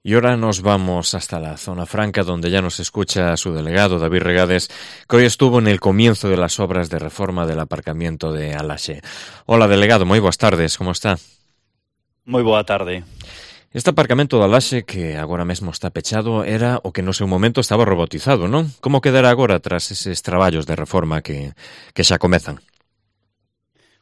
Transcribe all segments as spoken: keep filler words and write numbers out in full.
Y ahora nos vamos hasta la zona franca, donde ya nos escucha su delegado, David Regades, que hoy estuvo en el comienzo de las obras de reforma del aparcamiento de Alaxe. Hola, delegado, moi boas tardes, como está? Moi boa tarde. Este aparcamento de Alaxe, que agora mesmo está pechado, era o que no seu momento estaba robotizado, non? Como quedará agora tras eses traballos de reforma que, que xa comezan?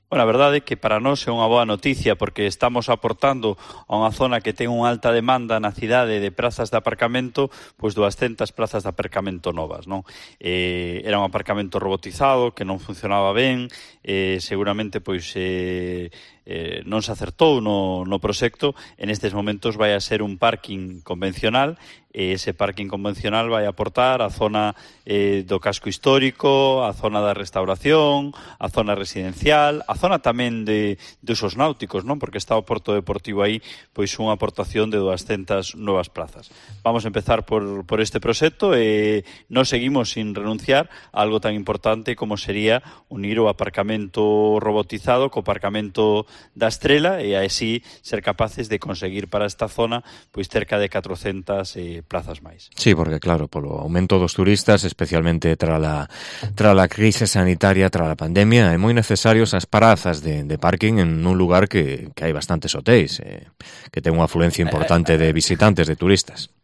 Bueno, a verdade é que para nós é unha boa noticia porque estamos aportando a unha zona que ten unha alta demanda na cidade de prazas de aparcamento, pois duascentas plazas de aparcamento novas, non? Eh, era un aparcamento robotizado que non funcionaba ben, eh, seguramente pois eh, eh, non se acertou no, no proxecto, en estes momentos vai a ser un parking convencional e ese parking convencional vai aportar a zona eh, do casco histórico, a zona da restauración, a zona residencial, a zona tamén de, de usos náuticos, non? Porque está o Porto Deportivo aí, pois unha aportación de duascentas novas plazas. Vamos a empezar por, por este proxecto e non seguimos sin renunciar a algo tan importante como sería unir o aparcamento robotizado co aparcamento da Estrela e así ser capaces de conseguir para esta zona pois cerca de catrocentas eh, plazas máis. Sí, porque claro, polo aumento dos turistas, especialmente tra la, tra la crise sanitaria, tra la pandemia, é moi necesarios as parazas de, de parking en un lugar que, que hai bastantes hotéis, eh, que ten unha afluencia importante de visitantes, de turistas.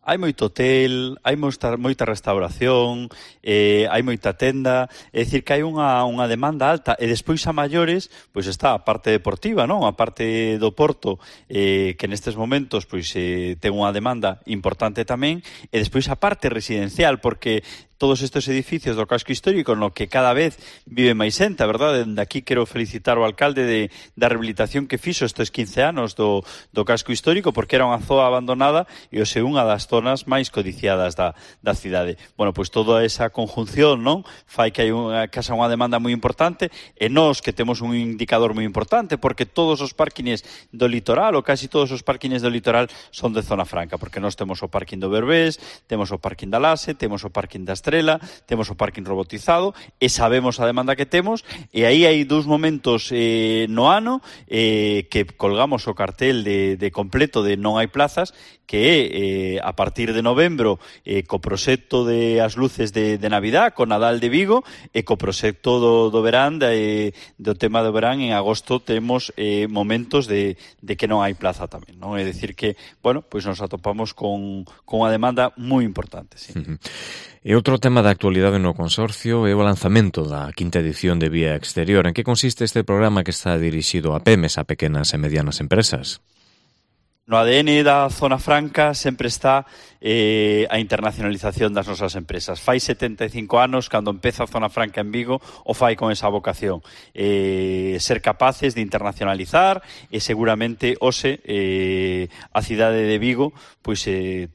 Hai moito hotel, hai moita, moita restauración, eh, hai moita tenda, é dicir que hai unha, unha demanda alta e despois a maiores, pois está a parte deportiva, non? A parte do Porto, eh, que nestes momentos pois eh, ten unha demanda importante tamén, e despois a parte residencial, porque todos estes edificios do casco histórico no que cada vez vive máis xente, a verdade? Dende aquí quero felicitar o alcalde de, da rehabilitación que fixo estes quince anos do, do casco histórico, porque era unha zoa abandonada e hoxe unha das zonas máis codiciadas da, da cidade. Bueno, pois toda esa conjunción, non? Fai que hai unha, que haxa unha demanda moi importante e nós que temos un indicador moi importante, porque todos os parkings do litoral, ou casi todos os parkings do litoral son de zona franca, porque nós temos o parking do Berbés, temos o parking da Alaxe, temos o parking da Estrela, temos o parking robotizado e sabemos a demanda que temos e aí hai dous momentos eh, no ano eh, que colgamos o cartel de, de completo de non hai plazas, que é eh, a partir de novembro eh, co proxecto de as luces de, de Navidad, co Nadal de Vigo e co proxecto do, do verán de, do tema do verán en agosto temos eh, momentos de, de que non hai plaza tamén, non? É dicir que, bueno, pois nos atopamos con, con unha demanda moi importante, sí. Uh-huh. E outro tema da actualidade no consorcio é o lanzamento da quinta edición de Vía Exterior. En que consiste este programa que está dirixido a PEMES, a pequenas e medianas empresas? No A D N da Zona Franca sempre está eh, a internacionalización das nosas empresas. Fai setenta e cinco anos, cando empeza a Zona Franca en Vigo, o fai con esa vocación. Eh, ser capaces de internacionalizar e seguramente hoxe eh, a cidade de Vigo pois eh,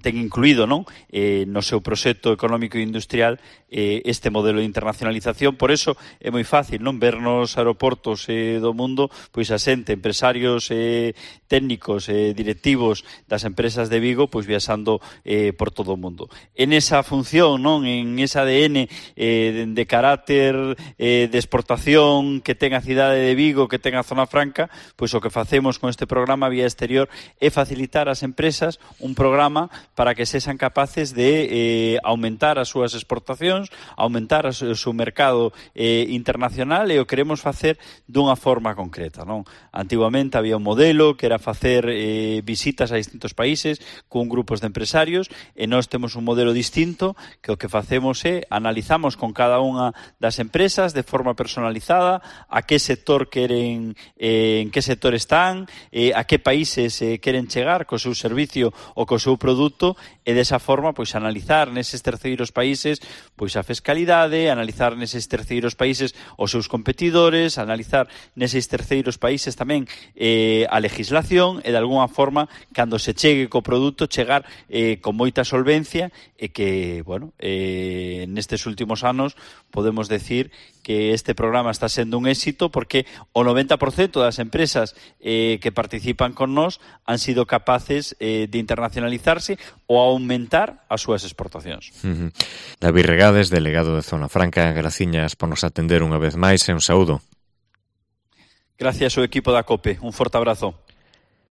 ten incluído, non, eh, no seu proxecto económico e industrial eh, este modelo de internacionalización. Por eso é moi fácil, non, ver nos aeroportos eh, do mundo pois a xente, empresarios eh, técnicos, eh, directivos das empresas de Vigo pois viaxando eh, por todo o mundo. En esa función, non, en ese A D N eh, de, de carácter eh, de exportación que ten a cidade de Vigo, que ten a Zona Franca, pois o que facemos con este programa Vía Exterior é facilitar ás empresas un programa para que sexan capaces de eh, aumentar as súas exportacións, aumentar o seu mercado eh, internacional, e o queremos facer dunha forma concreta, non? Antiguamente había un modelo que era facer eh, visitas a distintos países con grupos de empresarios, e nós temos un modelo distinto que o que facemos é analizamos con cada unha das empresas de forma personalizada a que sector queren, eh, en que sector están, eh, a que países eh, queren chegar co seu servicio ou co seu produto, e desa forma pois analizar neses terceiros países pois a fiscalidade, analizar neses terceiros países os seus competidores, analizar neses terceiros países tamén eh, a legislación, e de alguna forma cando se chegue co produto chegar eh, con moita solvencia, e que, bueno, eh, nestes últimos anos podemos decir que este programa está sendo un éxito porque o noventa por cento das empresas eh, que participan con nós han sido capaces eh, de internacionalizarse ou aumentar as súas exportacións. Uh-huh. David Regades, delegado de Zona Franca, graciñas por nos atender unha vez máis e un saúdo. Gracias ao equipo da COPE. Un forte abrazo.